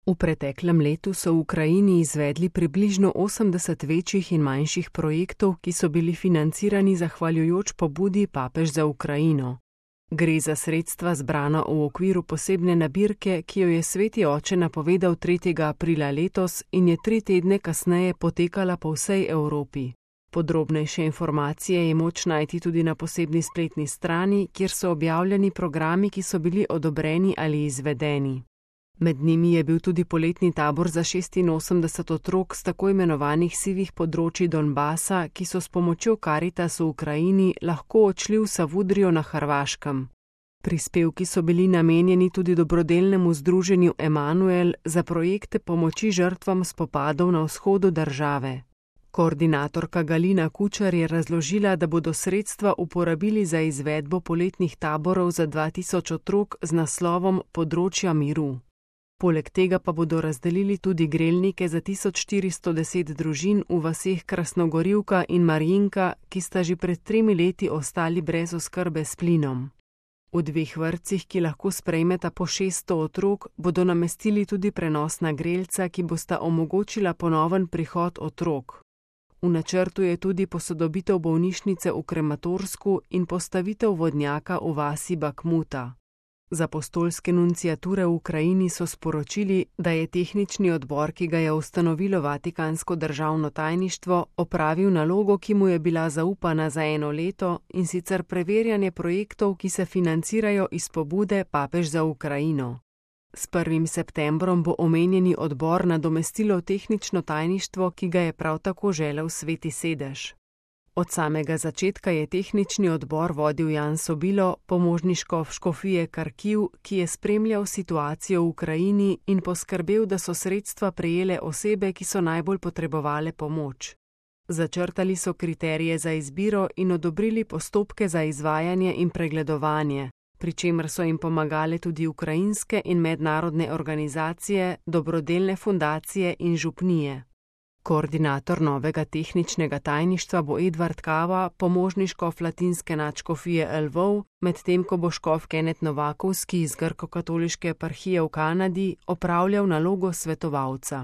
V preteklem letu so v Ukrajini izvedli približno 80 večjih in manjših projektov, ki so bili financirani zahvaljujoč pobudi Papež za Ukrajino. Gre za sredstva zbrana v okviru posebne nabirke, ki jo je Sveti oče napovedal 3. aprila letos in je 3 tedne kasneje potekala po vsej Evropi. Podrobnejše informacije je moč najti tudi na posebni spletni strani, kjer so objavljeni programi, ki so bili odobreni ali izvedeni. Med njimi je bil tudi poletni tabor za 86 otrok z tako imenovanih sivih področij Donbasa, ki so s pomočjo Karitas v Ukrajini lahko odšli v Savudrijo na Hrvaškem. Prispevki so bili namenjeni tudi dobrodelnemu združenju Emanuel za projekte pomoči žrtvam spopadov na vzhodu države. Koordinatorka Galina Kučar je razložila, da bodo sredstva uporabili za izvedbo poletnih taborov za 2000 otrok z naslovom Področja miru. Poleg tega pa bodo razdelili tudi grelnike za 1410 družin v vaseh Krasnogorivka in Marjinka, ki sta že pred 3 leti ostali brez oskrbe s plinom. V 2 vrtcih, ki lahko sprejmeta po 600 otrok, bodo namestili tudi prenosna grelca, ki bosta omogočila ponoven prihod otrok. V načrtu je tudi posodobitev bolnišnice v Krematorsku in postavitev vodnjaka v vasi Bakmuta. Z apostolske nunciature v Ukrajini so sporočili, da je tehnični odbor, ki ga je ustanovilo Vatikansko državno tajništvo, opravil nalogo, ki mu je bila zaupana za 1 leto, in sicer preverjanje projektov, ki se financirajo iz pobude Papež za Ukrajino. S 1. septembrom bo omenjeni odbor nadomestilo tehnično tajništvo, ki ga je prav tako želel Sveti sedež. Od samega začetka je tehnični odbor vodil Jan Sobilo, pomožni škof škofije Karkiv, ki je spremljal situacijo v Ukrajini in poskrbel, da so sredstva prejele osebe, ki so najbolj potrebovale pomoč. Začrtali so kriterije za izbiro in odobrili postopke za izvajanje in pregledovanje, pri čemer so jim pomagale tudi ukrajinske in mednarodne organizacije, dobrodelne fundacije in župnije. Koordinator novega tehničnega tajništva bo Edvard Kava, pomožni škof latinske nadškofije Lvov, medtem ko bo škof Kenneth Novakovski iz grkokatoliške eparhije v Kanadi opravljal nalogo svetovalca.